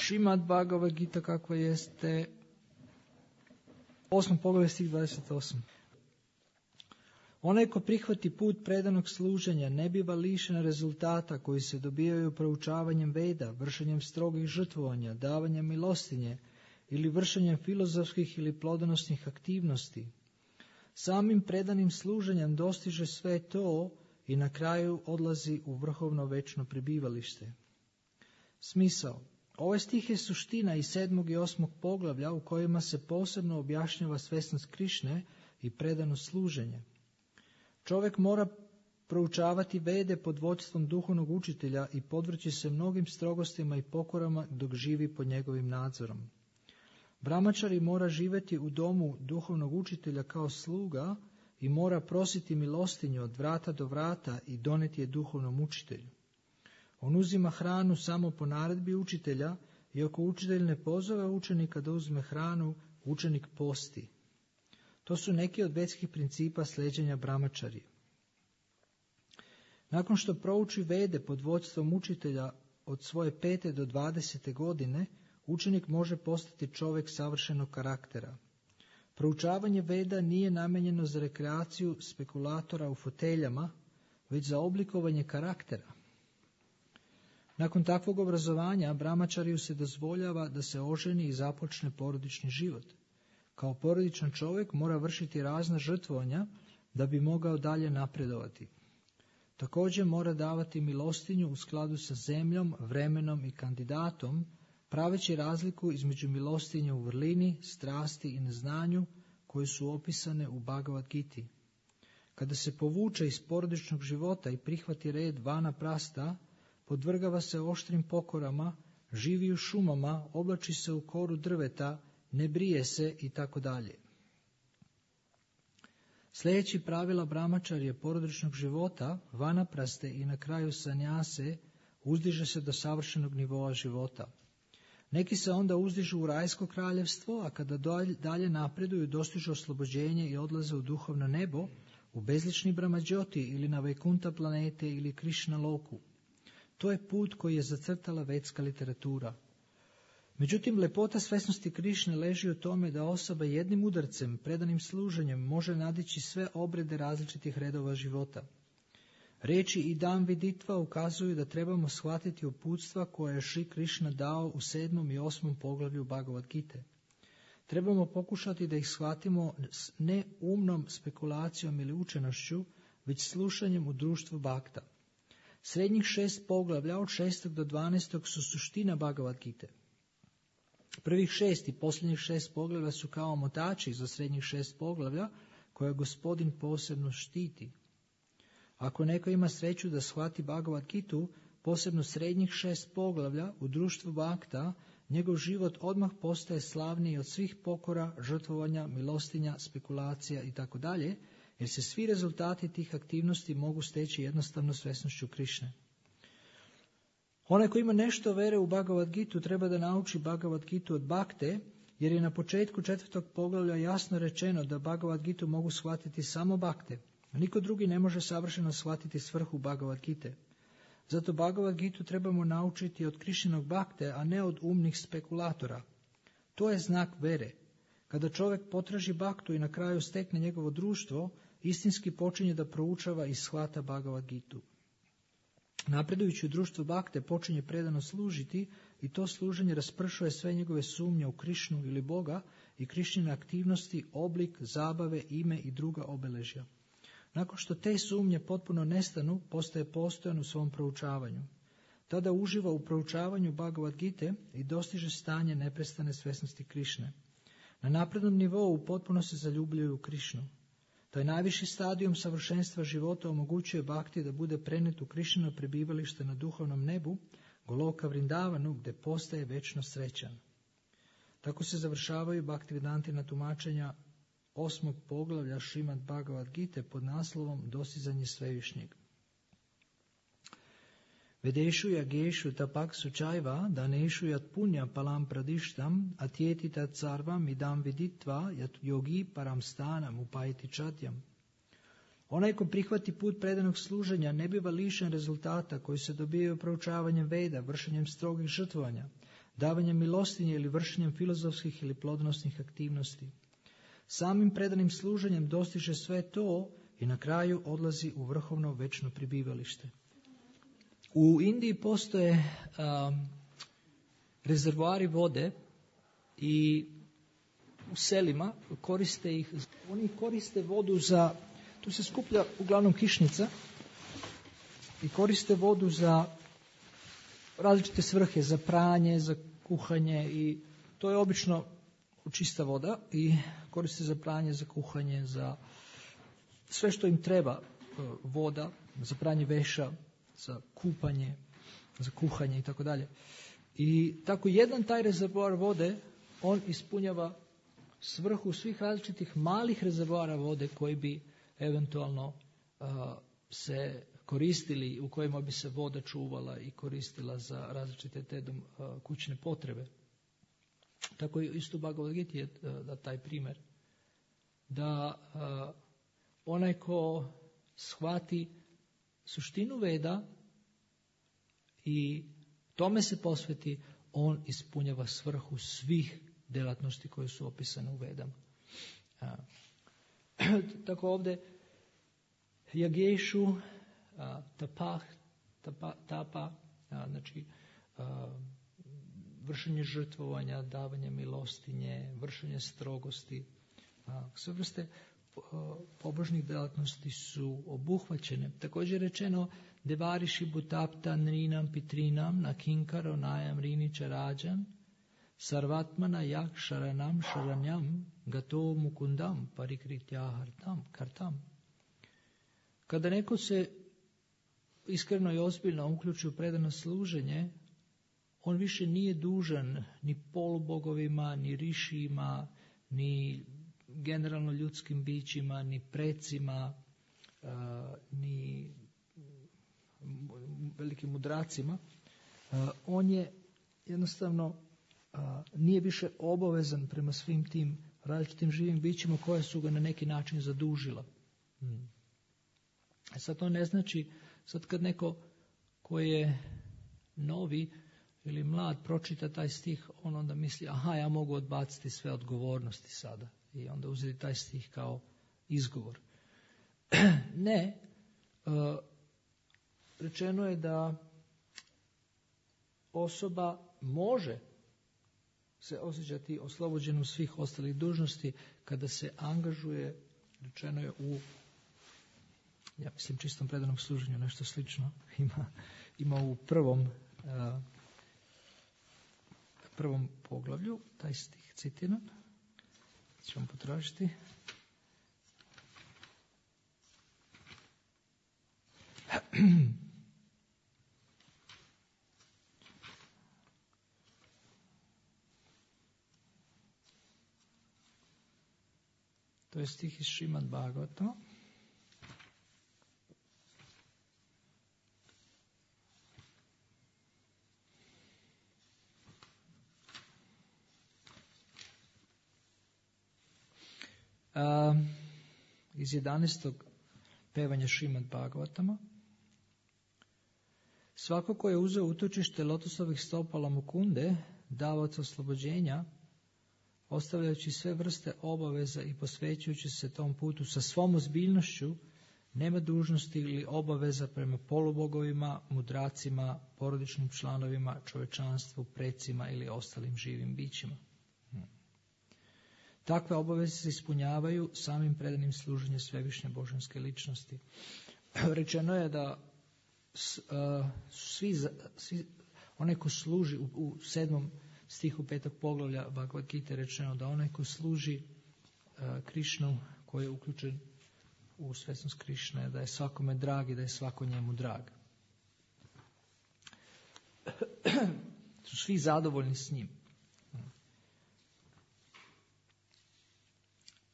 Šrimad Bhagavad Gita kakva jeste, 8. poglavlje stih 28. Onaj ko prihvati put predanog služenja ne biva lišen rezultata koji se dobijaju proučavanjem Veda, vršenjem strogih žrtvovanja, davanjem milostinje ili vršenjem filozofskih ili plodonosnih aktivnosti. Samim predanim služenjem dostiže sve to i na kraju odlazi u vrhovno večno prebivalište. Smisao. Ovaj stih je suština iz 7. i 8. poglavlja u kojima se posebno objašnjava svesnost Krišne i predano služenje. Čovjek mora proučavati Vede pod vodstvom duhovnog učitelja i podvrći se mnogim strogostima i pokorama dok živi pod njegovim nadzorom. Brahmačari mora živjeti u domu duhovnog učitelja kao sluga i mora prositi milostinju od vrata do vrata i doneti je duhovnom učitelju. On uzima hranu samo po naredbi učitelja i ako učitelj ne pozove učenika da uzme hranu, učenik posti. To su neki od vedskih principa sljeđenja brahmačarije. Nakon što prouči Vede pod vodstvom učitelja od svoje 5. do 20. godine, učenik može postati čovjek savršenog karaktera. Proučavanje Veda nije namijenjeno za rekreaciju spekulatora u foteljama, već za oblikovanje karaktera. Nakon takvog obrazovanja, brahmačariju se dozvoljava da se oženi i započne porodični život. Kao porodičan čovjek mora vršiti razna žrtvovanja da bi mogao dalje napredovati. Također mora davati milostinju u skladu sa zemljom, vremenom i kandidatom, praveći razliku između milostinje u vrlini, strasti i neznanju koje su opisane u Bhagavad Giti. Kada se povuče iz porodičnog života i prihvati red vanaprasta, podvrgava se oštrim pokorama, živi u šumama, oblači se u koru drveta, ne brije se i tako dalje. Sljedeći pravila brahmačarije porodičnog života, vanapraste i na kraju sanjase, uzdiže se do savršenog nivoa života. Neki se onda uzdižu u rajsko kraljevstvo, a kada dalje napreduju dostižu oslobođenje i odlaze u duhovno nebo, u bezlični Brahmađoti ili na Vajkunta planete ili Krišna loku. To je put koji je zacrtala vedska literatura. Međutim, lepota svesnosti Krišne leži u tome da osoba jednim udarcem, predanim služenjem, može nadići sve obrede različitih redova života. Riječi idam viditva ukazuju da trebamo shvatiti uputstva koje je Šri Krišna dao u 7. i 8. poglavlju Bhagavad Gite. Trebamo pokušati da ih shvatimo ne umnom spekulacijom ili učenošću, već slušanjem u društvu Bhakta. Srednjih 6 poglavlja od 6. do 12. su suština Bhagavad Gite. Prvih 6 i posljednjih 6 poglavlja su kao motači za srednjih 6 poglavlja koje Gospodin posebno štiti. Ako neko ima sreću da shvati Bhagavad Gitu, posebno srednjih 6 poglavlja u društvu Bhakta, njegov život odmah postaje slavniji od svih pokora, žrtvovanja, milostinja, spekulacija itd., jer se svi rezultati tih aktivnosti mogu steći jednostavno svesnošću Krišne. Onaj ko ima nešto vere u Bhagavad Gitu treba da nauči Bhagavad Gitu od Bhakte, jer je na početku 4. poglavlja jasno rečeno da Bhagavad Gitu mogu shvatiti samo Bhakte. Niko drugi ne može savršeno shvatiti svrhu Bhagavad Gite. Zato Bhagavad Gitu trebamo naučiti od Krišnog Bhakte, a ne od umnih spekulatora. To je znak vere. Kada čovjek potraži Bhaktu i na kraju stekne njegovo društvo, istinski počinje da proučava i shvata Bhagavad Gitu. Napredujući u društvu Bhakte počinje predano služiti i to služenje raspršuje sve njegove sumnje u Krišnu ili Boga i Krišnine aktivnosti, oblik, zabave, ime i druga obeležja. Nakon što te sumnje potpuno nestanu, postaje postojan u svom proučavanju. Tada uživa u proučavanju Bhagavad Gite i dostiže stanje neprestane svesnosti Krišne. Na naprednom nivou potpuno se zaljubljuju u Krišnu. Taj najviši stadijum savršenstva života omogućuje Bhakti da bude prenijet u Krišnino prebivalište na duhovnom nebu, Goloka Vrindavanu, gdje postaje večno srećan. Tako se završavaju Bhaktivedantina tumačenja 8. poglavlja Šrimad Bhagavad Gite pod naslovom Dostizanje svevišnjeg. Vedešu yageshu tapak sučajva daneshu yat punja palam pradištam atjeti tat sarvam idam viditva yat yogi param stanam upajiti čatyam. Onaj ko prihvati put predanog služenja ne biva lišen rezultata koji se dobijaju proučavanjem Veda, vršenjem strogih žrtvovanja, davanjem milostinje ili vršenjem filozofskih ili plodonosnih aktivnosti. Samim predanim služenjem dostiže sve to i na kraju odlazi u vrhovno večno pribivalište. U Indiji postoje rezervoari vode i u selima koriste ih, oni koriste vodu za, tu se skuplja uglavnom kišnica i koriste vodu za različite svrhe, za pranje, za kuhanje i to je obično čista voda i koriste za pranje, za kuhanje, za sve što im treba voda, za pranje veša, za kupanje, za kuhanje i tako dalje. I tako jedan taj rezervoar vode, on ispunjava svrhu svih različitih malih rezervoara vode koji bi eventualno se koristili, u kojima bi se voda čuvala i koristila za različite te kućne potrebe. Tako je isto u Bhagavad Gita je da taj primjer. Da onaj ko shvati suštinu Veda i tome se posveti, on ispunjava svrhu svih djelatnosti koje su opisane u Vedama. Tako ovdje Jagešu, tapa, znači vršenje žrtvovanja, davanje milostinje, vršenje strogosti, sve vrste pobožnih djelatnosti su obuhvaćene. Također je rečeno devariši butapta nrinam pitrinam na kinkaro najam rinića rađan sarvatmana jak šaranam šaranjam gato mukundam parikritya kartam. Kada neko se iskreno i ozbiljno uključi u predano služenje, on više nije dužan ni polubogovima, ni rišijima, ni generalno ljudskim bićima, ni precima, ni velikim mudracima. On je jednostavno nije više obavezan prema svim tim različitim živim bićima koja su ga na neki način zadužila. Sad to ne znači, sad kad neko koji je novi ili mlad pročita taj stih, on onda misli, aha, ja mogu odbaciti sve odgovornosti sada. I onda uzeti taj stih kao izgovor. Ne, rečeno je da osoba može se osjećati oslobođenom svih ostalih dužnosti kada se angažuje, rečeno je u, ja mislim, čistom predanom služenju, nešto slično ima u prvom poglavlju, taj stih citiram. Ćemo potražiti. To je stih iz Šrimad Bhagavata. Iz 11. pevanja Šrimad Bhagavatama. Svako ko je uzeo utočište lotosovih stopala Mukunde, davaoca oslobođenja, ostavljajući sve vrste obaveza i posvećujući se tom putu sa svom ozbiljnošću, nema dužnosti ili obaveza prema polubogovima, mudracima, porodičnim članovima, čovečanstvu, precima ili ostalim živim bićima. Takve obaveze se ispunjavaju samim predanim služenjem svevišnje božanske ličnosti. Rečeno je da svi onaj ko služi u 7. stihu 5. poglavlja Bhagavad Gita je rečeno da onaj ko služi Krišnu, koji je uključen u svesnost Krišne, da je svakome drag i da je svako njemu drag. Su svi zadovoljni s njim.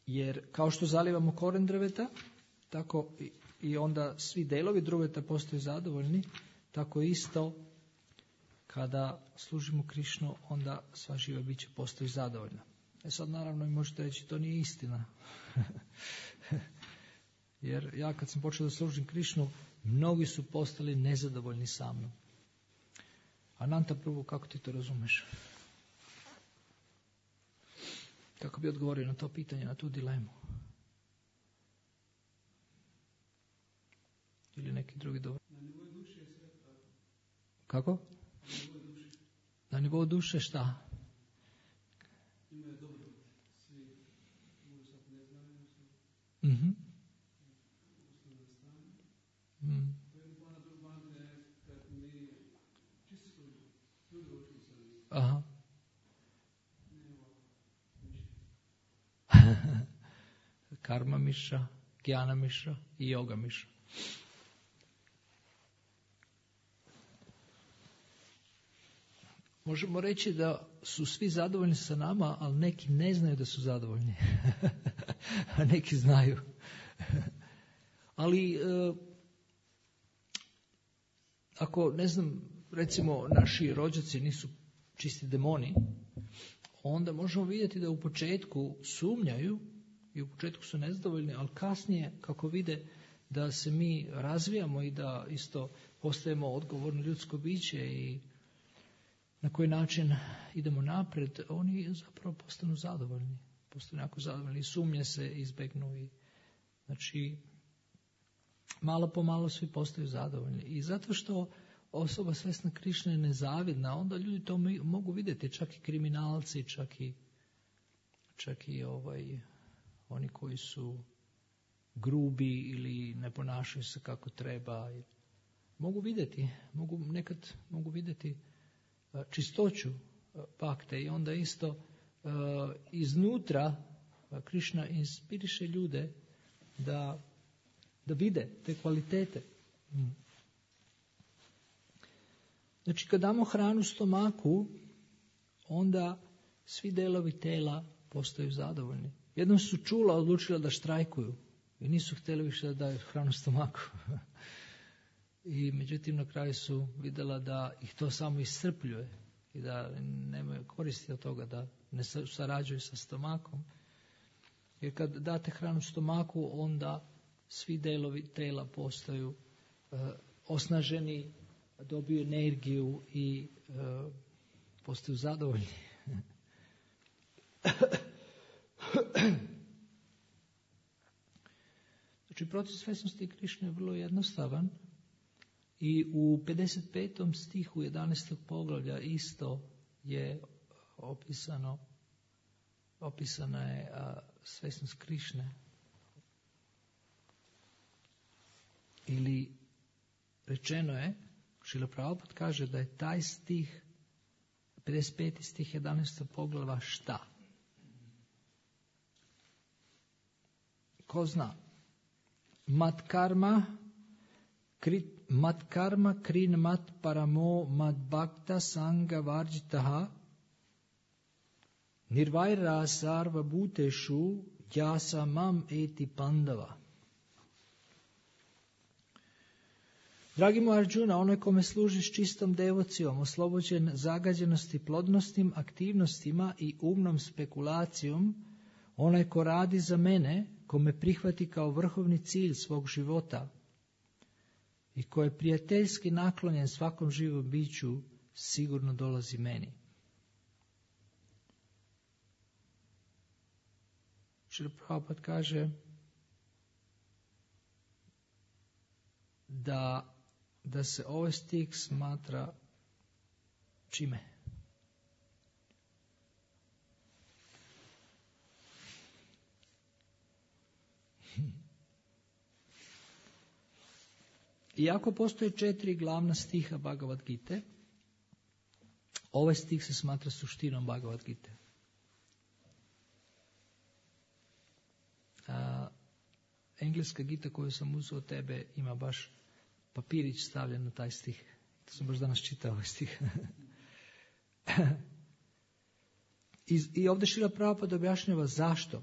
Jer kao što zalivamo koren drveta, tako i onda svi delovi drveta postaju zadovoljni, tako isto kada služimo Krišnu, onda sva živa bića postaju zadovoljna. Sad naravno možete reći, to nije istina. Jer ja kad sam počeo da služim Krišnu, mnogi su postali nezadovoljni sa mnom. Ananta Prabhu, kako ti to razumeš? Kako bi odgovorio na to pitanje, na tu dilemu? Ili neki drugi dobro? Na nivou duše je sve tako. Kako? Na nivou duše šta? Ima je dobro. Svi možda sad ne znaju. Mhm. Osnovna stanje. Mm. To je van kad mi čisto ljudi učili sa njim. Aha. Ne ovako. Karma miša, Gyana miša i yoga miša. Možemo reći da su svi zadovoljni sa nama, ali neki ne znaju da su zadovoljni. A neki znaju. Ali ako, ne znam, recimo naši rođaci nisu čisti demoni, onda možemo vidjeti da u početku sumnjaju i u početku su nezadovoljni, ali kasnije kako vide da se mi razvijamo i da isto postajemo odgovorno ljudsko biće i na koji način idemo napred, oni zapravo postanu zadovoljni. Postanu jako zadovoljni i sumnje se izbegnu. I, znači, malo po malo svi postaju zadovoljni. I zato što osoba svjesna Krišne je nezavidna, onda ljudi to mogu vidjeti, čak i kriminalci, čak i oni koji su grubi ili ne ponašaju se kako treba. Nekad mogu vidjeti čistoću bakte i onda isto iznutra Krišna inspiriše ljude da vide te kvalitete. Znači kad damo hranu stomaku, onda svi delovi tela postaju zadovoljni. Jednom su čula odlučila da štrajkuju i nisu htjeli više da daju hranu stomaku. I međutim na kraju su vidjela da ih to samo iscrpljuje i da nemaju koristi od toga, da ne sarađuju sa stomakom. Jer kad date hranu stomaku, onda svi delovi tela postaju osnaženi, dobiju energiju i postaju zadovoljni. Znači proces svjesnosti Krišne je vrlo jednostavan. I u 55. stihu 11. poglavlja isto je opisana je svjesnost Krišne. Ili rečeno je, Šrila Prabhupada kaže da je taj stih, 55. stih 11. poglavlja šta? Ko zna? Mat karma krin mat paramo mat bhakta sanga varjitaha nirvaira sarva bhuteshu jasa mam eti pandava. Dragi mu Arjuna, onaj kome služiš čistom devocijom, oslobođen zagađenosti plodnostim aktivnostima i umnom spekulacijom, onaj ko radi za mene, ko me prihvati kao vrhovni cilj svog života i ko je prijateljski naklonjen svakom živom biću, sigurno dolazi meni. Šrila Prabhupada kaže da se ovaj stih smatra čime? Iako postoje 4 glavna stiha Bhagavad Gite, ovaj stih se smatra suštinom Bhagavad Gite. Engleska Gita koju sam uzeo od tebe ima baš papirić stavljen na taj stih. To sam baš danas čitao ovaj stih. I ovdje Šrila Prabhupada objašnjava zašto.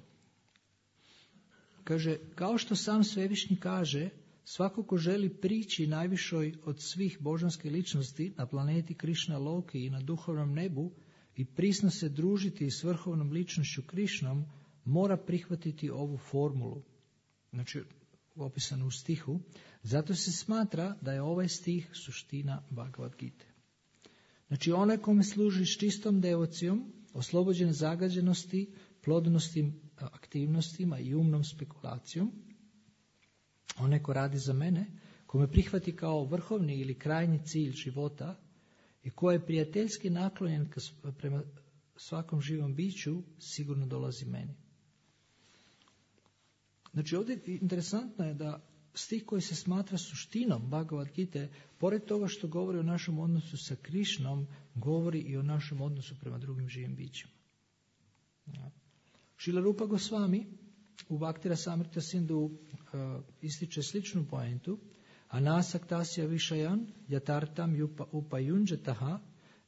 Kaže, kao što sam Svevišnji kaže, svako ko želi prići najvišoj od svih božanskih ličnosti na planeti Krišna Loki i na duhovnom nebu i prisno se družiti s vrhovnom ličnošću Krišnom, mora prihvatiti ovu formulu. Znači, opisano u stihu. Zato se smatra da je ovaj stih suština Bhagavad Gite. Znači, onaj kome služi s čistom devocijom, oslobođen zagađenosti plodnostim aktivnostima i umnom spekulacijom. Onaj ko radi za mene, ko me prihvati kao vrhovni ili krajnji cilj života i ko je prijateljski naklonjen prema svakom živom biću, sigurno dolazi meni. Znači ovdje interesantno je da stih koji se smatra suštinom Bhagavad Gite, pored toga što govori o našem odnosu sa Krišnom, govori i o našem odnosu prema drugim živim bićima. Šrila Rupa Gosvami u Bhakti Rasamrita Sindhu ističe sličnu poentu: Anasaktasya višayan yatartam upayunjataha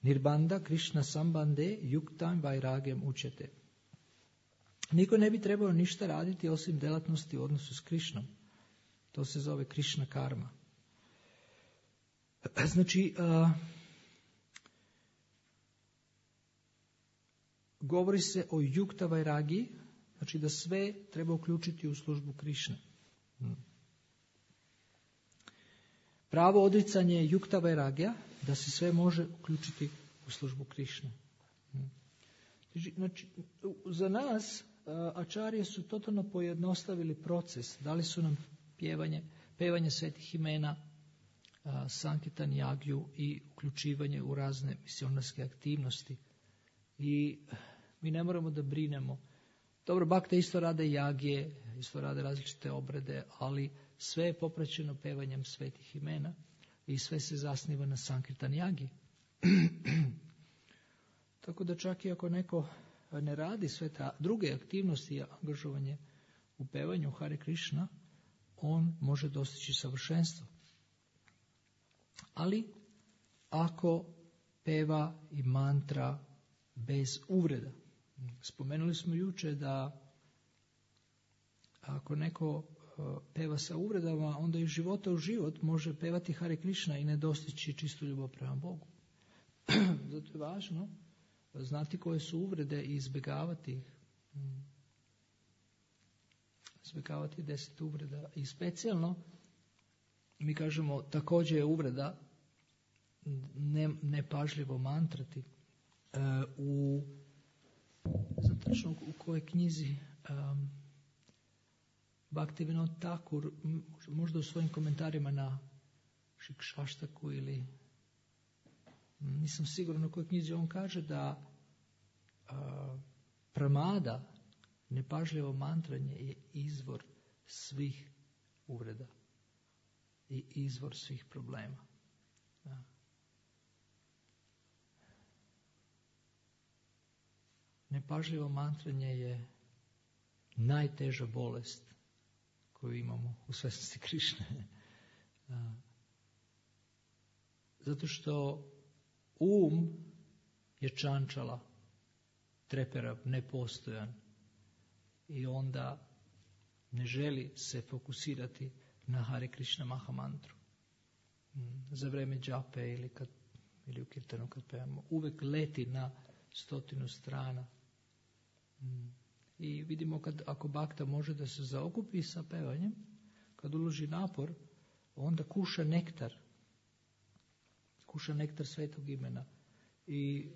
nirbanda Krishna sambande yuktam vairagem učete. Niko ne bi trebao ništa raditi osim delatnosti u odnosu s Krišnom. To se zove Krišna karma. Znači, govori se o yukta vairagi, znači da sve treba uključiti u službu Krišne. Pravo odricanje je yukta vairagija, da se sve može uključiti u službu Krišne. Znači, za nas ačarije su totalno pojednostavili proces. Dali su nam pevanje svetih imena, Sankirtan jagju i uključivanje u razne misionarske aktivnosti. I mi ne moramo da brinemo. Dobro, bakte isto rade jagje, isto rade različite obrede, ali sve je popraćeno pevanjem svetih imena i sve se zasniva na Sankirtan jagi. Tako da čak i ako neko ne radi sve te druge aktivnosti i angažovanje u pevanju Hare Krishna, on može dostići savršenstvo. Ali ako peva i mantra bez uvreda. Spomenuli smo juče da ako neko peva sa uvredama, onda iz života u život može pevati Hare Krishna i ne dostići čistu ljubav prema Bogu. Zato je važno znati koje su uvrede i izbjegavati ih. Izbjegavati 10 uvreda. I specijalno, mi kažemo, također je uvreda nepažljivo mantrati. Znam tačno u kojoj knjizi Bhaktivinoda Thakur, možda u svojim komentarima na Šikšaštaku ili nisam siguran u kojoj knjizi, on kaže da pramada, nepažljivo mantranje, je izvor svih uvreda i izvor svih problema. Da. Nepažljivo mantranje je najteža bolest koju imamo u svjesnosti Krišne. Zato što je čančala, treperav, nepostojan i onda ne želi se fokusirati na Hare Krishna Mahamantru. Za vreme džape ili u kirtanu kad pevamo, uvek leti na 100 strana. I vidimo ako bakta može da se zaokupi sa pevanjem, kad uloži napor, onda kuša nektar svetog imena i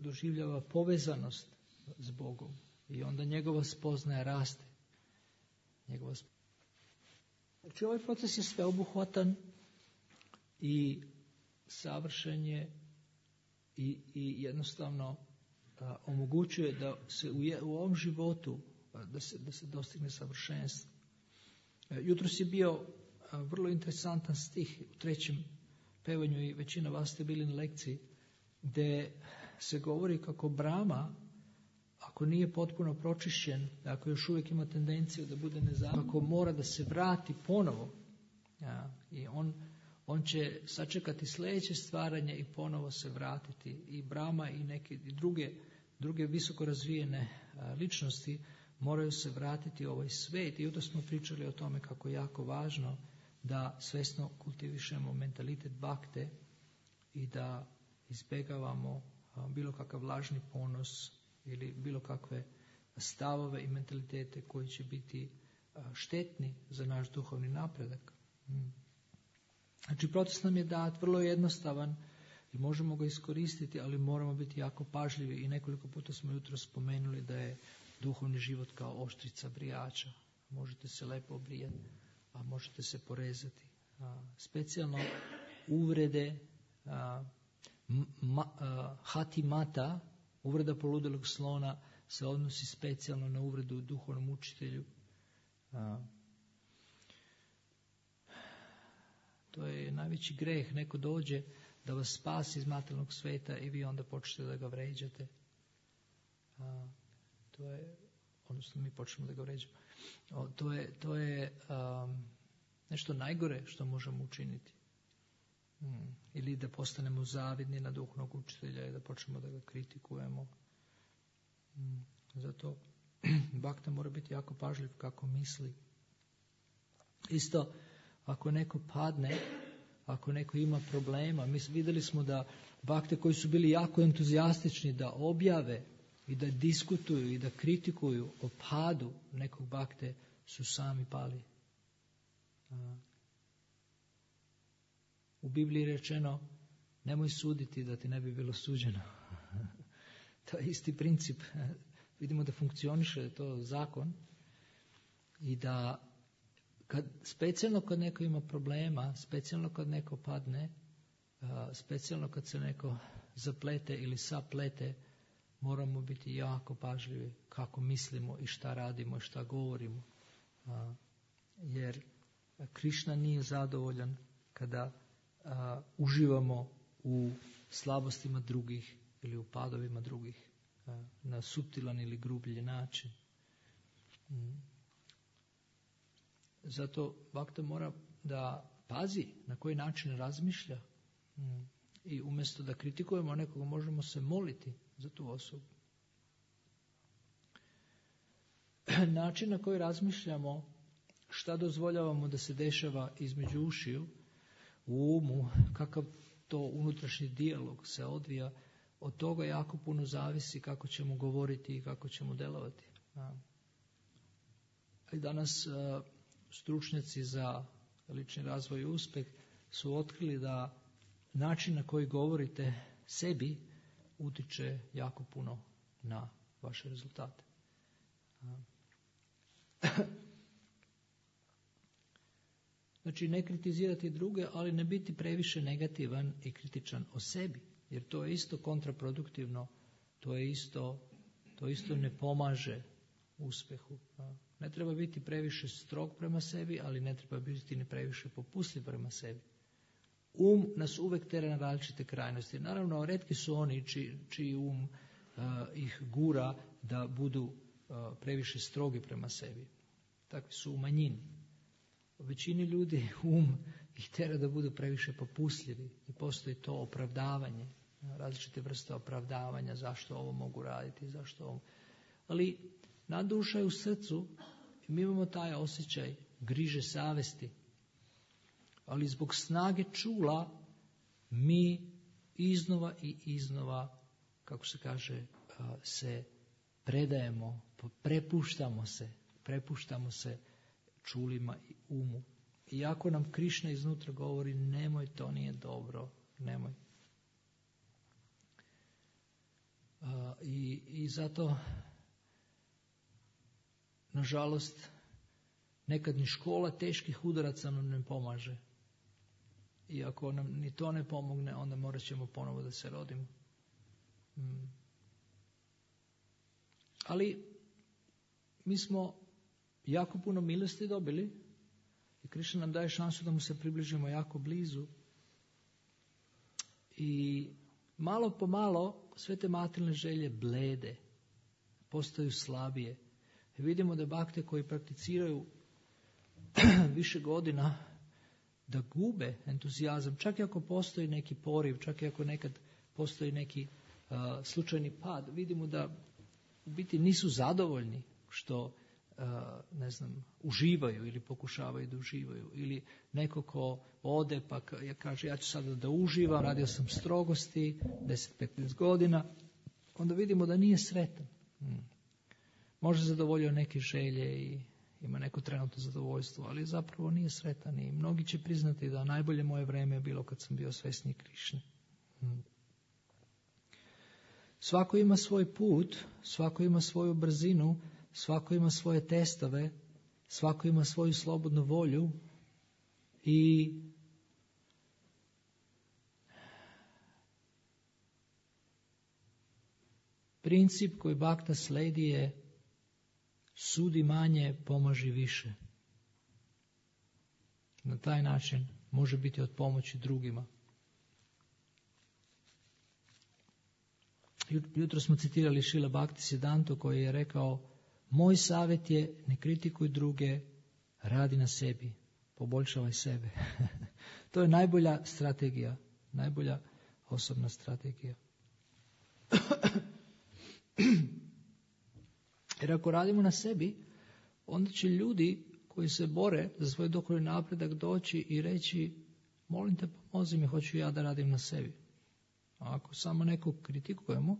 doživljava povezanost s Bogom i onda njegova spoznaja raste. Znači ovaj proces je sveobuhvatan i savršen je i jednostavno omogućuje da se u ovom životu da se dostigne savršenstvo. Jutros je bio vrlo interesantan stih u 3. pevanju i većina vas ste bili na lekciji, gdje se govori kako Brahma, ako nije potpuno pročišćen, ako još uvijek ima tendenciju da bude nezavistan, ako mora da se vrati ponovo, i on će sačekati sljedeće stvaranje i ponovo se vratiti. I Brahma i neke druge visoko razvijene ličnosti moraju se vratiti u ovaj svijet. I onda smo pričali o tome kako je jako važno da svjesno kultivišemo mentalitet bakte i da izbjegavamo bilo kakav lažni ponos ili bilo kakve stavove i mentalitete koji će biti štetni za naš duhovni napredak. Znači, proces nam je dat vrlo jednostavan. i možemo ga iskoristiti, ali moramo biti jako pažljivi i nekoliko puta smo jutro spomenuli da je duhovni život kao oštrica brijača. Možete se lepo obrijati, a možete se porezati. Specijalno uvrede hatimata, uvreda poludelog slona, se odnosi specijalno na uvredu duhovnom učitelju. To je najveći greh. Neko dođe da vas spasi iz materijalnog sveta i vi onda počnete da ga vređate. To je, odnosno mi počnemo da ga vređamo. To je nešto najgore što možemo učiniti. Ili da postanemo zavidni na duhovnog učitelja i da počnemo da ga kritikujemo. Zato bakta mora biti jako pažljiv kako misli. Isto, ako neko padne, ako neko ima problema, mi vidjeli smo da bakte koji su bili jako entuzijastični da objave i da diskutuju i da kritikuju o padu nekog bakte, su sami pali. U Bibliji je rečeno, nemoj suditi da ti ne bi bilo suđeno. To je isti princip. Vidimo da funkcioniše to zakon i da specijalno kad neko ima problema, specijalno kad neko padne, specijalno kad se neko zaplete ili saplete, moramo biti jako pažljivi kako mislimo i šta radimo i šta govorimo. Jer Krišna nije zadovoljan kada uživamo u slabostima drugih ili u padovima drugih na suptilan ili grublji način. Zato bakta mora da pazi na koji način razmišlja i umjesto da kritikujemo nekoga možemo se moliti za tu osobu. Način na koji razmišljamo, šta dozvoljavamo da se dešava između ušiju, u umu, kakav to unutrašnji dijalog se odvija, od toga jako puno zavisi kako ćemo govoriti i kako ćemo delovati. I danas stručnjaci za lični razvoj i uspjeh su otkrili da način na koji govorite sebi utiče jako puno na vaše rezultate. Znači, ne kritizirati druge, ali ne biti previše negativan i kritičan o sebi, jer to je isto kontraproduktivno, to isto ne pomaže uspjehu. Ne treba biti previše strog prema sebi, ali ne treba biti ni previše popustljiv prema sebi. Nas uvek tera na različite krajnosti. Naravno, retki su oni čiji ih gura da budu previše strogi prema sebi. Takvi su u manjini. U većini ljudi ih tera da budu previše popustljivi i postoji to opravdavanje, različite vrste opravdavanja zašto ovo mogu raditi, zašto ovo. Ali na duša je u srcu i mi imamo taj osjećaj griže savesti. Ali zbog snage čula mi iznova i iznova, kako se kaže, se predajemo, prepuštamo se čulima i umu. Iako nam Krišna iznutra govori nemoj, to nije dobro, nemoj. I zato, nažalost, nekad ni škola teških udaraca nam ne pomaže. I ako nam ni to ne pomogne, onda morat ćemo ponovo da se rodimo. Ali mi smo jako puno milosti dobili i Krišna nam daje šansu da mu se približimo jako blizu. I malo po malo sve te materijalne želje blede, postaju slabije. I vidimo da bakte koji prakticiraju više godina da gube entuzijazam, čak i ako postoji neki poriv, čak i ako nekad postoji neki slučajni pad, vidimo da u biti nisu zadovoljni što uživaju ili pokušavaju da uživaju. Ili neko ko ode pa kaže ja ću sada da uživam, radio sam strogosti 10-15 godina, onda vidimo da nije sretan. Možda zadovoljio neke želje i ima neko trenutno zadovoljstvo, ali zapravo nije sretan i mnogi će priznati da najbolje moje vreme je bilo kad sam bio svesni Krišne. Svako ima svoj put, svako ima svoju brzinu, svako ima svoje testove, svako ima svoju slobodnu volju i princip koji Bhakta sledi je sudi manje, pomaži više. Na taj način može biti od pomoći drugima. Jutro smo citirali Šila Bhaktisiddhantu koji je rekao: moj savjet je ne kritikuj druge, radi na sebi, poboljšavaj sebe. To je najbolja strategija, najbolja osobna strategija. Jer ako radimo na sebi, onda će ljudi koji se bore za svoj duhovni napredak doći i reći: molim te, pomozi mi, hoću ja da radim na sebi. A ako samo nekog kritikujemo,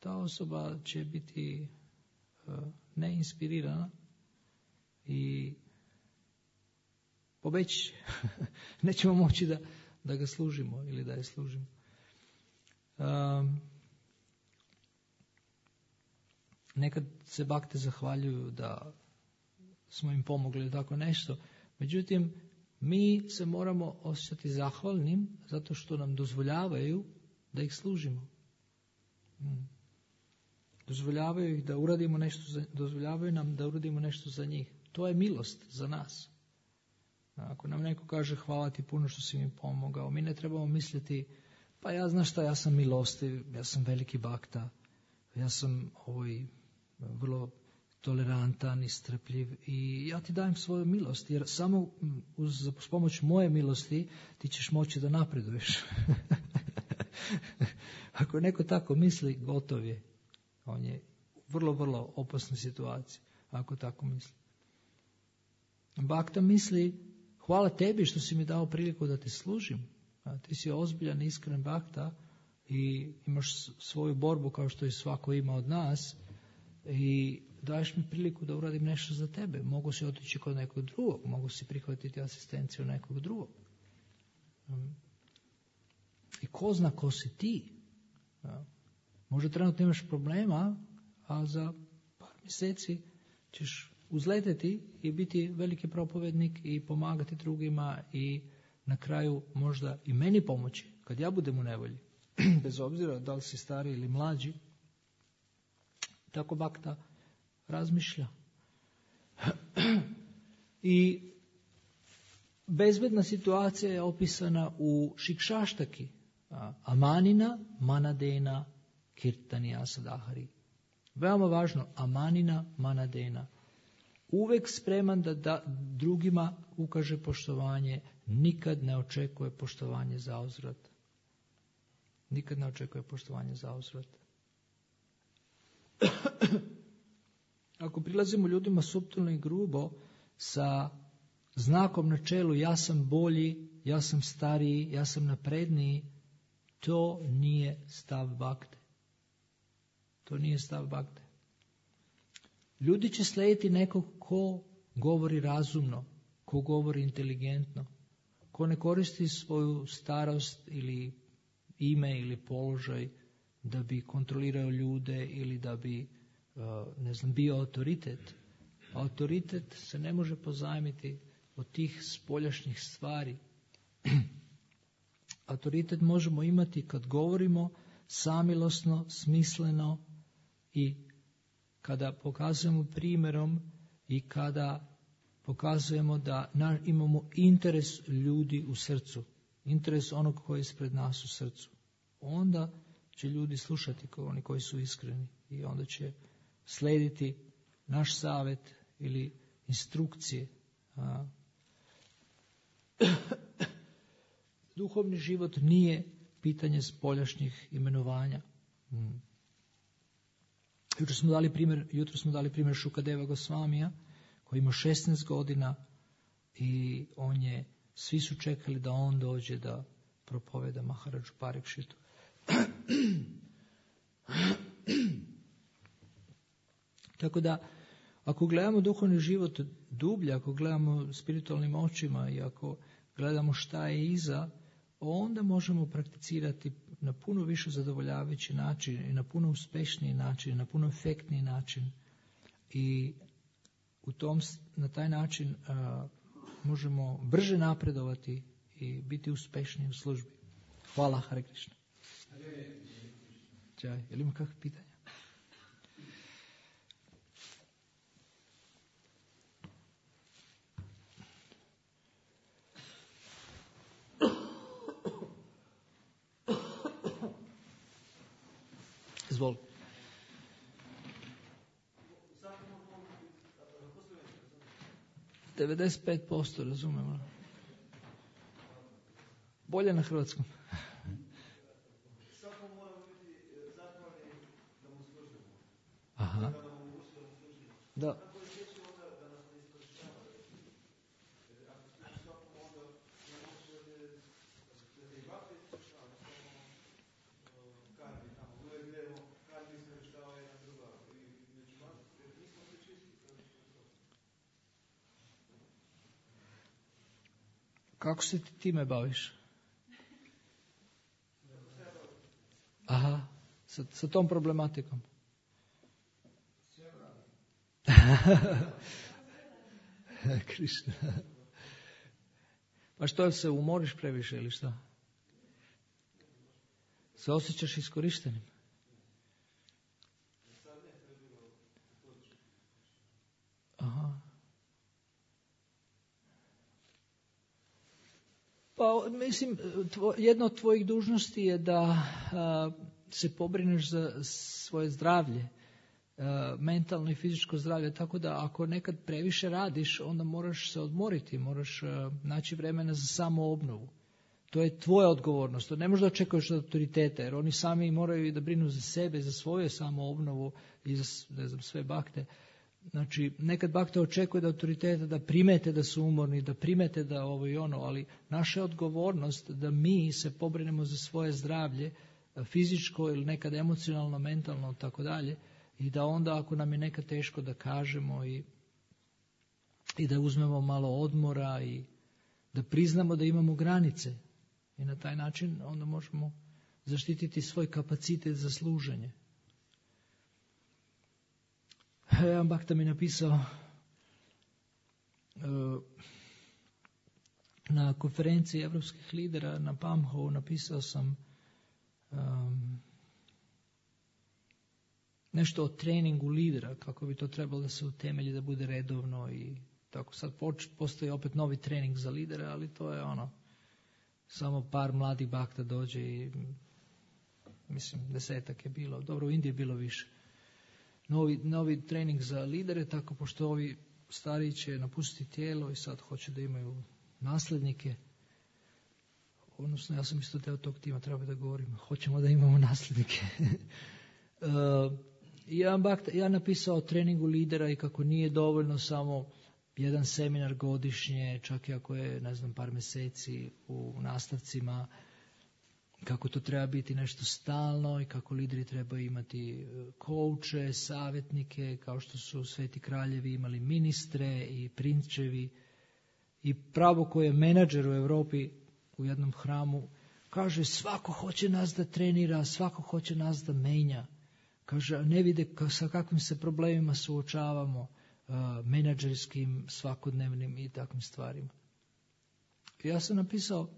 ta osoba će biti neinspirirana i pobeći. Nećemo moći da ga služimo ili da je služimo. Nekad se bakte zahvaljuju da smo im pomogli tako nešto. Međutim, mi se moramo osjećati zahvalnim zato što nam dozvoljavaju da ih služimo. Dozvoljavaju ih da uradimo nešto, dozvoljavaju nam da uradimo nešto za njih. To je milost za nas. Ako nam neko kaže hvala ti puno što si mi pomogao, mi ne trebamo misliti pa ja znaš šta, ja sam milostiv, ja sam veliki bakta, ja sam vrlo tolerantan i strpljiv i ja ti dajem svoju milost, jer samo uz pomoć moje milosti ti ćeš moći da napreduješ. Ako neko tako misli, gotov je. On je u vrlo, vrlo opasnoj situaciji, ako tako misli. Bakta misli, hvala tebi što si mi dao priliku da te služim. Ti si ozbiljan, iskren bakta i imaš svoju borbu kao što i svako ima od nas i daješ mi priliku da uradim nešto za tebe. Mogu si otići kod nekog drugog, mogu si prihvatiti asistenciju nekog drugog. I ko zna ko si ti? Možda trenutno imaš problema, a za par mjeseci ćeš uzleteti i biti veliki propovednik i pomagati drugima i na kraju možda i meni pomoći kad ja budem u nevolji. Bez obzira da li si stari ili mlađi. Tako bakta razmišlja. I bezbedna situacija je opisana u Šikšaštaki. Amanina, manadena, kirtanija sadahari. Veoma važno, amanina, manadena. Uvek spreman da drugima ukaže poštovanje, nikad ne očekuje poštovanje za uzvrat. Nikad ne očekuje poštovanje za uzvrat. Ako prilazimo ljudima suptilno i grubo sa znakom na čelu ja sam bolji, ja sam stariji, ja sam napredniji, to nije stav bakte. To nije stav bakte. Ljudi će slijediti nekog ko govori razumno, ko govori inteligentno, ko ne koristi svoju starost ili ime ili položaj da bi kontrolirao ljude ili da bi bio autoritet. Autoritet se ne može pozajmiti od tih spoljašnjih stvari. Autoritet možemo imati kad govorimo samilosno, smisleno i kada pokazujemo primjerom i kada pokazujemo da imamo interes ljudi u srcu, interes onog koji je ispred nas u srcu. Onda će ljudi slušati oni koji su iskreni i onda će slijediti naš savjet ili instrukcije. Duhovni život nije pitanje spoljašnjih imenovanja. Jutro smo dali primjer Šukadeva Gosvamija koji ima 16 godina i svi su čekali da on dođe da propoveda Maharadžu Parikšitu. Tako da, ako gledamo duhovni život dublje, ako gledamo spiritualnim očima i ako gledamo šta je iza, onda možemo prakticirati na puno više zadovoljavajući način i na puno uspješniji način i na puno efektniji način. I na taj način možemo brže napredovati i biti uspješniji u službi. Hvala, Hare Krishna. Jaj, je li ima kakve pitanja? Izvoli. Zatim 95% razumemo. Bolje na hrvatskom. Svako mora biti zahvalni da mu služimo. Aha. Da nam omogućuje da mu služimo. Da. Kako je sjeći onda da nas ne iskorištavaju? Ako služi svakom onda ne može da te i vakre iskorištavaju, samo karmi tamo. Uvijek gledamo karmi iskorištava jedna druga. I među vas, jer nismo sve čisti. Kako se ti time baviš? Aha, sa tom problematikom. Krišna. Pa što, se umoriš previše ili šta? Se osjećaš iskorištenim? Aha. Pa mislim, jedna od tvojih dužnosti je da se pobrineš za svoje zdravlje, mentalno i fizičko zdravlje, tako da ako nekad previše radiš, onda moraš se odmoriti, moraš naći vremena za samoobnovu. To je tvoja odgovornost, to ne možeš da očekuješ od autoriteta, jer oni sami moraju da brinu za sebe, za svoju samoobnovu i za sve bakte. Znači, nekad bakte očekuje od autoriteta da primete da su umorni, da primete da ovo i ono, ali naša je odgovornost da mi se pobrinemo za svoje zdravlje, fizičko ili nekad emocionalno, mentalno, tako dalje, i da onda ako nam je nekad teško da kažemo i da uzmemo malo odmora i da priznamo da imamo granice i na taj način onda možemo zaštititi svoj kapacitet za služenje. Jedan bakta mi napisao na konferenciji evropskih lidera na Pamhovu, napisao sam nešto o treningu lidera, kako bi to trebalo da se utemelji, da bude redovno i tako. Sad postoji opet novi trening za lidere, ali to je samo par mladih bakta dođe i mislim 10 je bilo. Dobro, u Indiji je bilo više. Novi trening za lidere, tako pošto ovi stariji će napustiti tijelo i sad hoće da imaju nasljednike. Odnosno, ja sam isto deo tog tima, treba da govorim. Hoćemo da imamo nasljednike. Ja napisao o treningu lidera i kako nije dovoljno samo jedan seminar godišnje, čak i ako je, par mjeseci u nastavcima, kako to treba biti nešto stalno i kako lideri trebaju imati kouče, savjetnike, kao što su sveti kraljevi imali ministre i prinčevi. I pravo koje je menadžer u Europi u jednom hramu kaže svako hoće nas da trenira, svako hoće nas da menja. Kaže, ne vide sa kakvim se problemima suočavamo, menadžerskim, svakodnevnim i takvim stvarima. I ja sam napisao,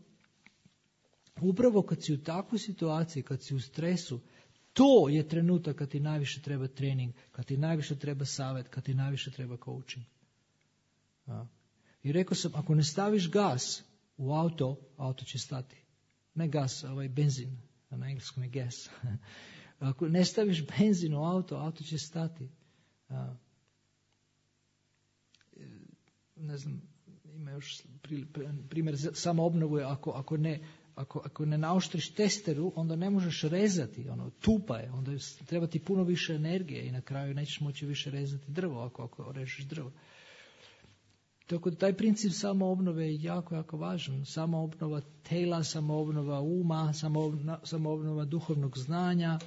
upravo kad si u takvoj situaciji, kad si u stresu, to je trenutak kad ti najviše treba trening, kad ti najviše treba savjet, kad ti najviše treba coaching. I rekao sam, ako ne staviš gas u auto će stati. Ne gas, benzin, na engleskom je gas. Ako ne staviš benzin u auto će stati. Ima još primjer, samo obnovu je ako ne naoštriš testeru, onda ne možeš rezati, tupa je, onda treba ti puno više energije i na kraju nećeš moći više rezati drvo ako režeš drvo. Tako da taj princip samoobnove je jako, jako važan. Samoobnova tela, samoobnova uma, samoobnova duhovnog znanja.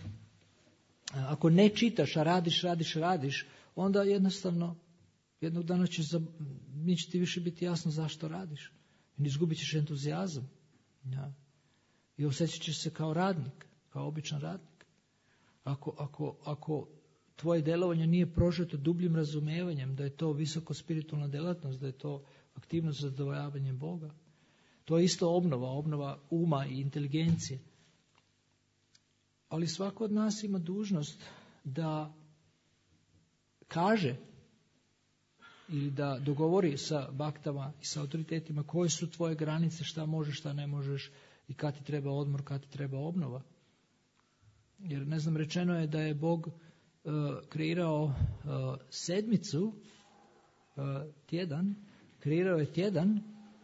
Ako ne čitaš, a radiš, onda jednostavno jednog dana neće ti više biti jasno zašto radiš. I izgubit ćeš entuzijazam. Ja. i osjećat ćeš se kao radnik, kao običan radnik. Ako tvoje djelovanje nije prožeto dubljim razumijevanjem da je to visoko spiritualna djelatnost, da je to aktivnost za zadovoljavanje Boga, to je isto obnova uma i inteligencije. Ali svako od nas ima dužnost da kaže ili da dogovori sa baktama i sa autoritetima koje su tvoje granice, šta možeš, šta ne možeš i kad ti treba odmor, kad ti treba obnova. Jer rečeno je da je Bog kreirao sedmicu, tjedan, kreirao je tjedan,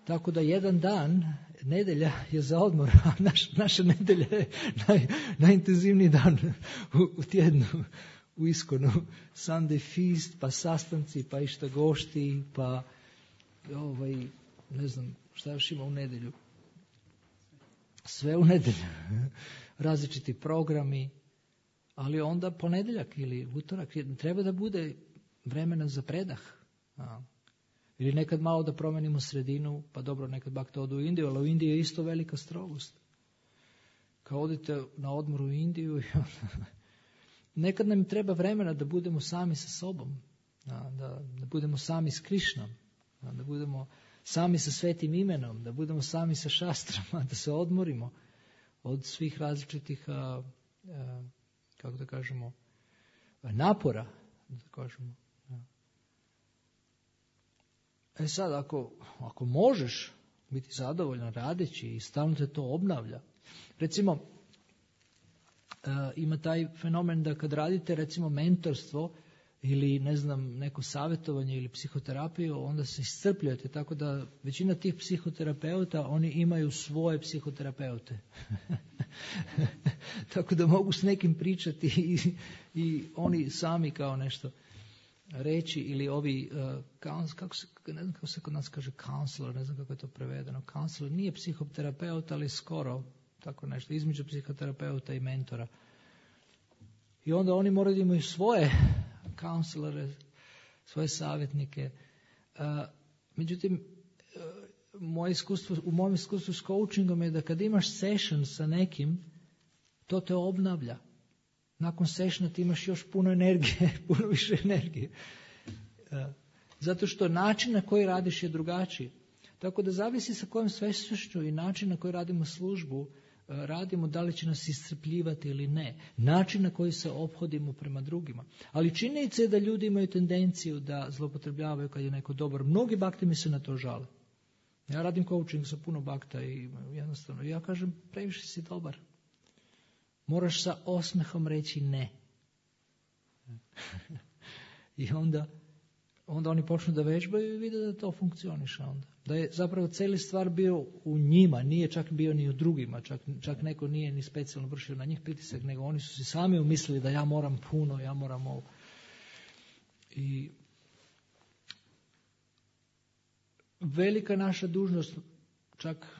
tako da jedan dan, nedjelja je za odmor, a naša nedjelja je najintenzivniji dan u tjednu, u Iskonu. Sunday feast, pa sastanci, pa išta gošti, pa ne znam šta još ima u nedjelju. Sve u nedjelju. Različiti programi, ali onda ponedjeljak ili utorak treba da bude vremena za predah. Ili nekad malo da promenimo sredinu, pa dobro, nekad bakta odu u Indiju, ali u Indiji je isto velika strogost. Kao odite na odmor u Indiju, nekad nam treba vremena da budemo sami sa sobom, da budemo sami s Krišnom, da budemo sami sa svetim imenom, da budemo sami sa šastrama, da se odmorimo od svih različitih, kako da kažemo, napora, da kažemo. Sad, ako možeš biti zadovoljan radeći i stalno te to obnavlja, recimo, ima taj fenomen da kad radite recimo mentorstvo ili neko savjetovanje ili psihoterapiju, onda se iscrpljujete, tako da većina tih psihoterapeuta, oni imaju svoje psihoterapeute. Tako da mogu s nekim pričati i oni sami kao nešto reći, ili ovi, ne znam kako se kod nas kaže counselor, ne znam kako je to prevedeno. Counselor nije psihoterapeut, ali skoro tako nešto, između psihoterapeuta i mentora. I onda oni moraju da imaju svoje counselore, svoje savjetnike. Međutim, u mojem iskustvu s coachingom je da kad imaš session sa nekim, to te obnavlja. Nakon sessiona ti imaš još puno energije, puno više energije. Zato što način na koji radiš je drugačiji. Tako da zavisi sa kojom svesnošću i način na koji radimo službu, radimo, da li će nas iscrpljivati ili ne. Način na koji se ophodimo prema drugima. Ali činjenica je da ljudi imaju tendenciju da zloupotrebljavaju kad je neko dobar. Mnogi bakti mi se na to žale. Ja radim coaching sa puno bakta i jednostavno ja kažem, previše si dobar. Moraš sa osmehom reći ne. I onda oni počnu da vežbaju i vide da to funkcioniše onda. Da je zapravo cijeli stvar bio u njima, nije čak bio ni u drugima, čak neko nije ni specijalno vršio na njih pritisak, nego oni su si sami umislili da ja moram puno, ja moram ovo. I velika naša dužnost, čak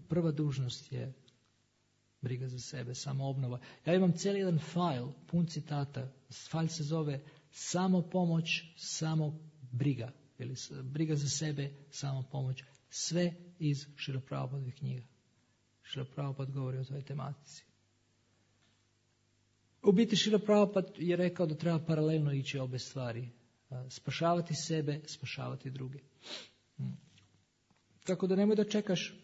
prva dužnost je briga za sebe, samoobnova. Ja imam cijeli jedan fajl, pun citata. Fajl se zove samo pomoć, samo briga. Ili briga za sebe, samo pomoć. Sve iz Šrila Prabhupadovih knjiga. Šrila Prabhupada govori o toj tematici. U biti Šrila Prabhupada je rekao da treba paralelno ići obe stvari. Spašavati sebe, spašavati druge. Tako da nemoj da čekaš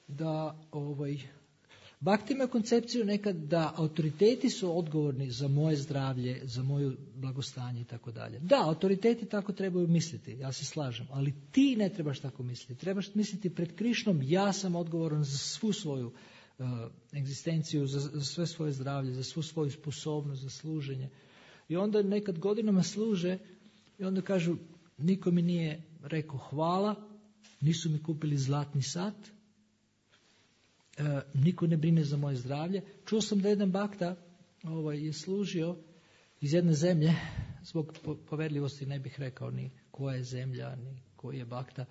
da Bhakti ima koncepciju nekad da autoriteti su odgovorni za moje zdravlje, za moju blagostanje i tako dalje. Da, autoriteti tako trebaju misliti, ja se slažem, ali ti ne trebaš tako misliti. Trebaš misliti pred Krišnom, ja sam odgovoran za svu svoju egzistenciju, za sve svoje zdravlje, za svu svoju sposobnost, za služenje. I onda nekad godinama služe i onda kažu, niko mi nije rekao hvala, nisu mi kupili zlatni sat, niko ne brine za moje zdravlje. Čuo sam da jedan bakta je služio iz jedne zemlje, zbog poverljivosti ne bih rekao ni koja je zemlja, ni koji je bakta.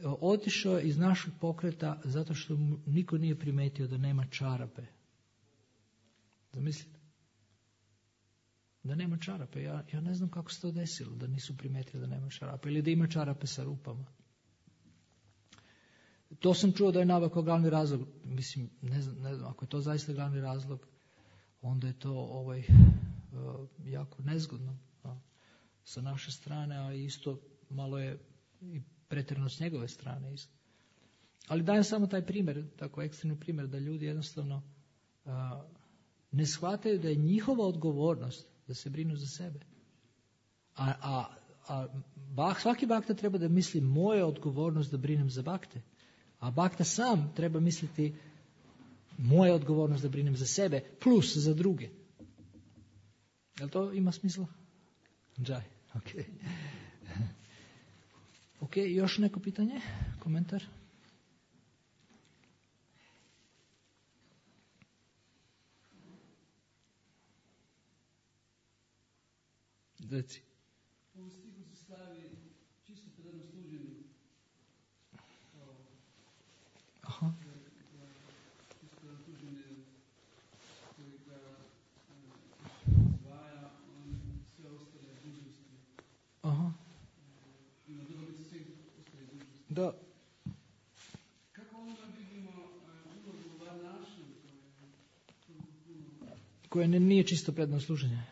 Otišao je iz našeg pokreta zato što niko nije primetio da nema čarape. Zamislite? Da nema čarape. Ja ne znam kako se to desilo, da nisu primetili da nema čarape ili da ima čarape sa rupama. To sam čuo da je naveo kao glavni razlog. Mislim, ne znam, ako je to zaista glavni razlog, onda je to jako nezgodno sa naše strane, a isto malo je i pretjerano s njegove strane isto. Ali dajem samo taj primjer, tako ekstremni primjer, da ljudi jednostavno ne shvataju da je njihova odgovornost da se brinu za sebe. Svaki bakta treba da misli moja odgovornost da brinem za bakte. A bakta sam treba misliti moja odgovornost da brinem za sebe plus za druge. Jel to ima smisla? Džaj, ok. Ok, još neko pitanje? Komentar? Reci. U stihu se slavi čisto predano služenje. Aha. Čisto predano služenje koji ga zvaja sve ostale dužnosti. Aha. Ima dobrobit svih ostalih dužnosti. Da. Kako onda vidimo ulogu varnaša Koje nije čisto predano služenje?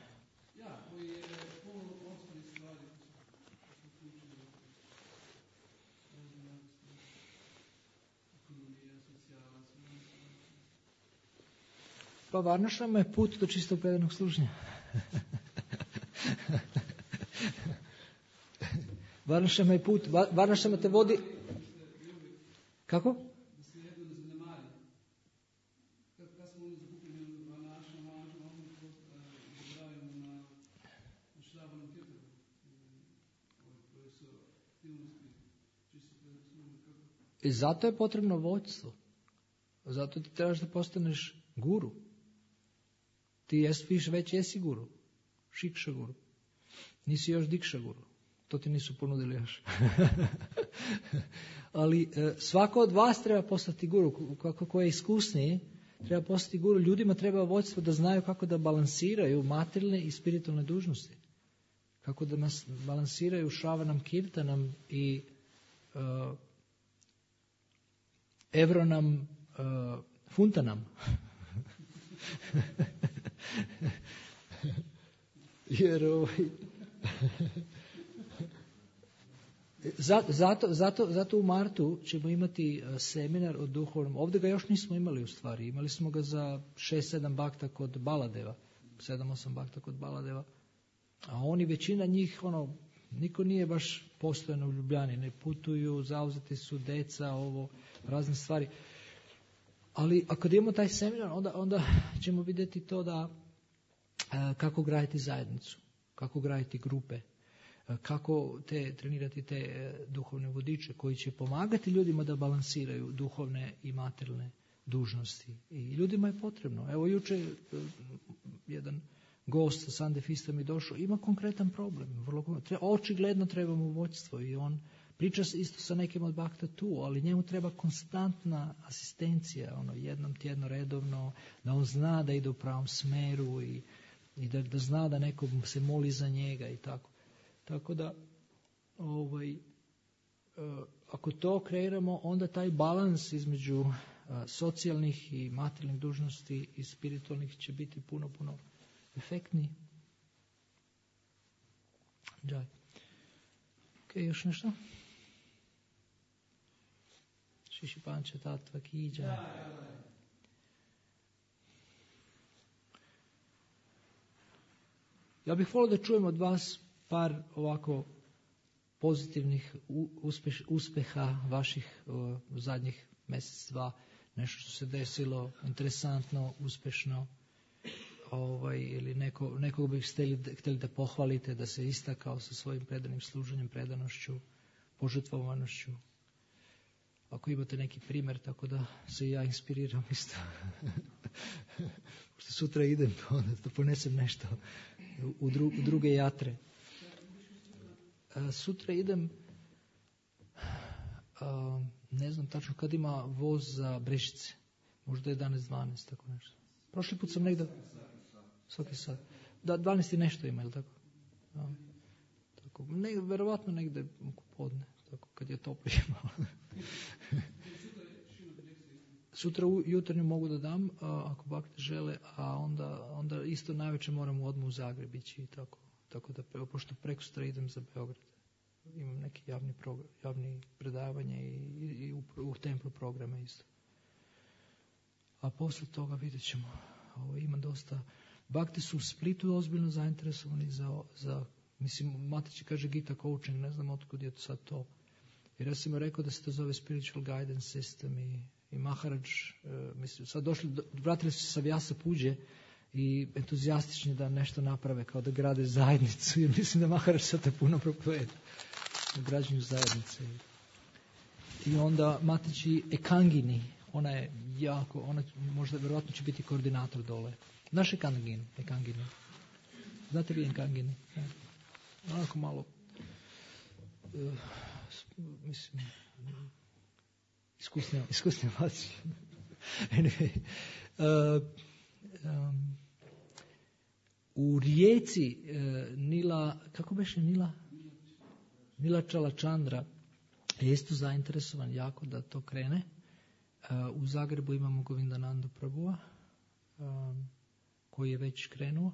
Pa varnašama je put do čistog predanog služenja. Varnašama je put, varnašama te vodi... Kako? Da se jedno ne zanemari. Kad smo oni zakupili varnašama, oni zaboravimo na šrabanom kjetaru. Koje su aktivnosti čisto predanog služenja. I zato je potrebno vođstvo. Zato ti trebaš da postaneš guru. Ti već jesi guru. Šikša guru. Nisi još dikša guru. To ti nisu ponudili još. Ali svako od vas treba postati guru. Ko je iskusniji, treba postati guru. Ljudima treba vođstvo da znaju kako da balansiraju materijalne i spiritualne dužnosti. Kako da nas balansiraju šravanam kirtanam i evronam funtanam. Jer zato u martu ćemo imati seminar o duhovnom. Ovdje ga još nismo imali u stvari. Imali smo ga za 6-7 bakta kod Baladeva. 7-8 bakta kod Baladeva. A oni, većina njih, niko nije baš postojano u Ljubljani. Ne putuju, zauzeti su deca, razne stvari. Ali ako imamo taj seminar, onda ćemo vidjeti to da kako graditi zajednicu, kako graditi grupe, kako trenirati te duhovne vodiče koji će pomagati ljudima da balansiraju duhovne i materijalne dužnosti. I ljudima je potrebno. Evo juče jedan gost sa Sandefista mi došao, ima konkretan problem. Očigledno treba mu vođstvo i on priča isto sa nekim od bakta tu, ali njemu treba konstantna asistencija, jednom tjedno redovno, da on zna da ide u pravom smeru i da zna da neko se moli za njega i tako. Tako da, ako to kreiramo, onda taj balans između socijalnih i materijalnih dužnosti i spiritualnih će biti puno, puno efektniji. Džaj. Ok, još nešto? Šiši panče tatva kiđa. Ja bih volio da čujem od vas par ovako pozitivnih uspeha vaših zadnjih mjesec, dva. Nešto što se desilo, interesantno, uspešno. Ili nekog bih htjeli da pohvalite, da se istakao sa svojim predanim služenjem, predanošću, požrtvovanošću. Ako imate neki primjer, tako da se ja inspiriram isto. Pošto sutra idem, onda da ponesem nešto u druge jatre. Sutra idem, ne znam tačno kad ima voz za Brešice. Možda 11-12, tako nešto. Prošli put sam negdje... Svaki sat. Da, 12 i nešto ima, ili tako? Da. Tako. Verovatno negdje u podne, tako, kad je toplo malo. Sutra jutarnju mogu da dam, ako bakte žele, a onda isto najveće moram odmah u Zagreb ići i tako da, pošto prekosutra idem za Beograd. Imam neki javni predavanje i u templu programe isto. A posle toga vidjet ćemo. Ima dosta. Bakte su u Splitu ozbiljno zainteresovani za mislim, Matić kaže Gita coaching, ne znam otkud je sad to. Jer ja sam mu rekao da se to zove spiritual guidance system i Maharaj, mislim, sad vratili su se sa Vyasa Puđe i entuzijastični da nešto naprave, kao da grade zajednicu, jer mislim da Maharaj sad to puno propoveda u građenju zajednice. I onda Matići Ekangini, ona je jako, ona možda vjerojatno će biti koordinator dole. Naš Ekangini. Znate vi Ekangini? Onako malo, mislim, iskusni Matići. Anyway, u rijeci Nila, kako beše Nila Čalačandra je isto zainteresovan jako da to krene. U Zagrebu imamo Govindanandu Prabhua, koji je već krenuo.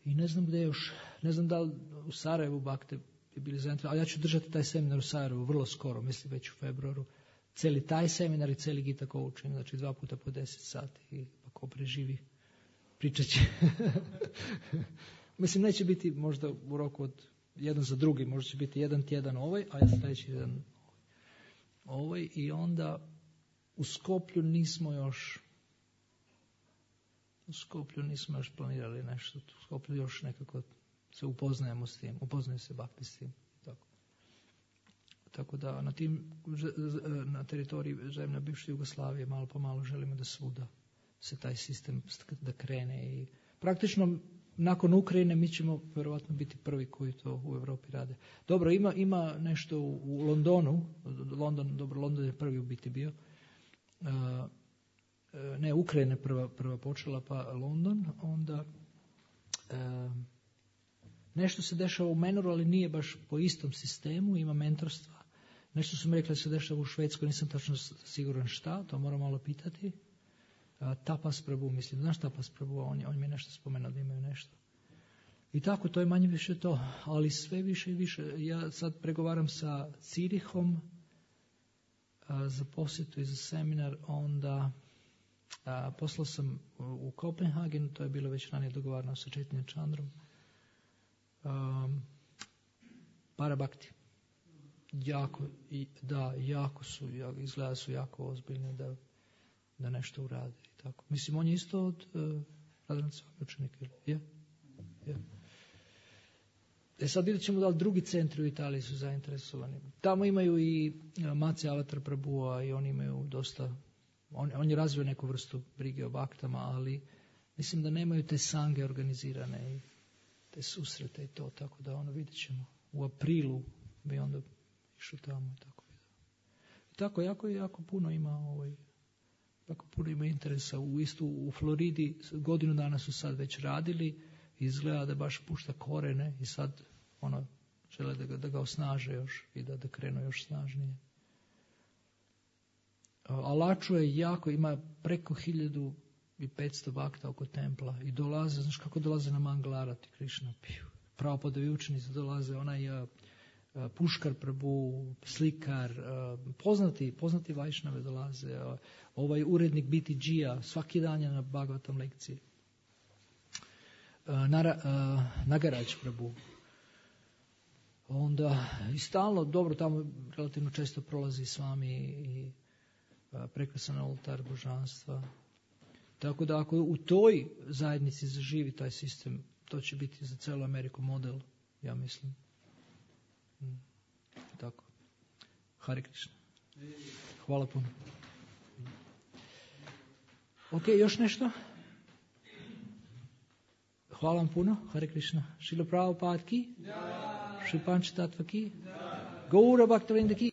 I ne znam gdje još, ne znam da li u Sarajevu bakte bi bili zainteresovani, ali ja ću držati taj seminar u Sarajevu vrlo skoro, mislim već u februaru. Cijeli taj seminar i cijeli Gita coaching, znači 2 puta po 10 sati i pa ko preživi, pričat će. Mislim, neće biti možda u roku od jedan za drugi, možda će biti jedan tjedan ovaj, a ja sljedeći tjedan ovaj. I onda u Skoplju nismo još planirali nešto. U Skoplju još nekako se upoznajemo s tim, upoznaju se bakti s tim. Tako da na teritoriji zemlje bivše Jugoslavije malo po malo želimo da svuda se taj sistem da krene. I praktično nakon Ukrajine mi ćemo vjerojatno biti prvi koji to u Europi rade. Dobro, ima nešto u Londonu. London je prvi u biti bio. Ne, Ukrajina je prva počela, pa London. Onda nešto se dešava u Menoru, ali nije baš po istom sistemu, ima mentorstva. Nešto su mi rekli da se dešava u Švedskoj, nisam tačno siguran šta, to moram malo pitati. Tapas Prabhu, mislim, znaš Tapas Prabhu, on mi je nešto spomenuo da imaju nešto. I tako, to je manje više to, ali sve više i više. Ja sad pregovaram sa Cirihom za posjetu i za seminar, onda poslao sam u Kopenhagen, to je bilo već ranije dogovarano sa Chaitanya Chandrom. Parabhakti. Jako su, izgleda su jako ozbiljni da nešto urade. I tako. Mislim, on je isto od Radhancovog učenika. Je. Sad vidjet ćemo da li drugi centri u Italiji su zainteresovani. Tamo imaju i Maci Avatar Prabhua i oni imaju dosta, on je razvio neku vrstu brige o baktama, ali mislim da nemaju te sange organizirane i te susrete i to, tako da vidjet ćemo. U aprilu bi onda išao tamo i tako. I tako jako puno ima jako puno ima interesa. U Floridi godinu dana su sad već radili, izgleda da baš pušta korene i sad žele da ga osnaže još i da krenu još snažnije. Alaču je jako, ima preko 1500 bakta oko templa i dolaze, znaš kako dolaze na Mangalarati Krišna, pravopodovi učenici dolaze, onaj Puškar Prabhu, slikar, poznati Vajšnave dolaze, ovaj urednik BTG-a, svaki dan je na Bhagavatam lekciji. Nagaraj Prabhu. Onda i stalno, dobro, tamo relativno često prolazi s vami i prekrasan oltar božanstva. Tako da ako u toj zajednici zaživi taj sistem, to će biti za celu Ameriku model, ja mislim. Tako. Hare Krishna. Hvala puno. Ok, još nešto? Hvala vam puno. Hare Krishna. Šrila Prabhupada ki? Šri Pančatattva ki? Gaura Bhaktivinoda ki?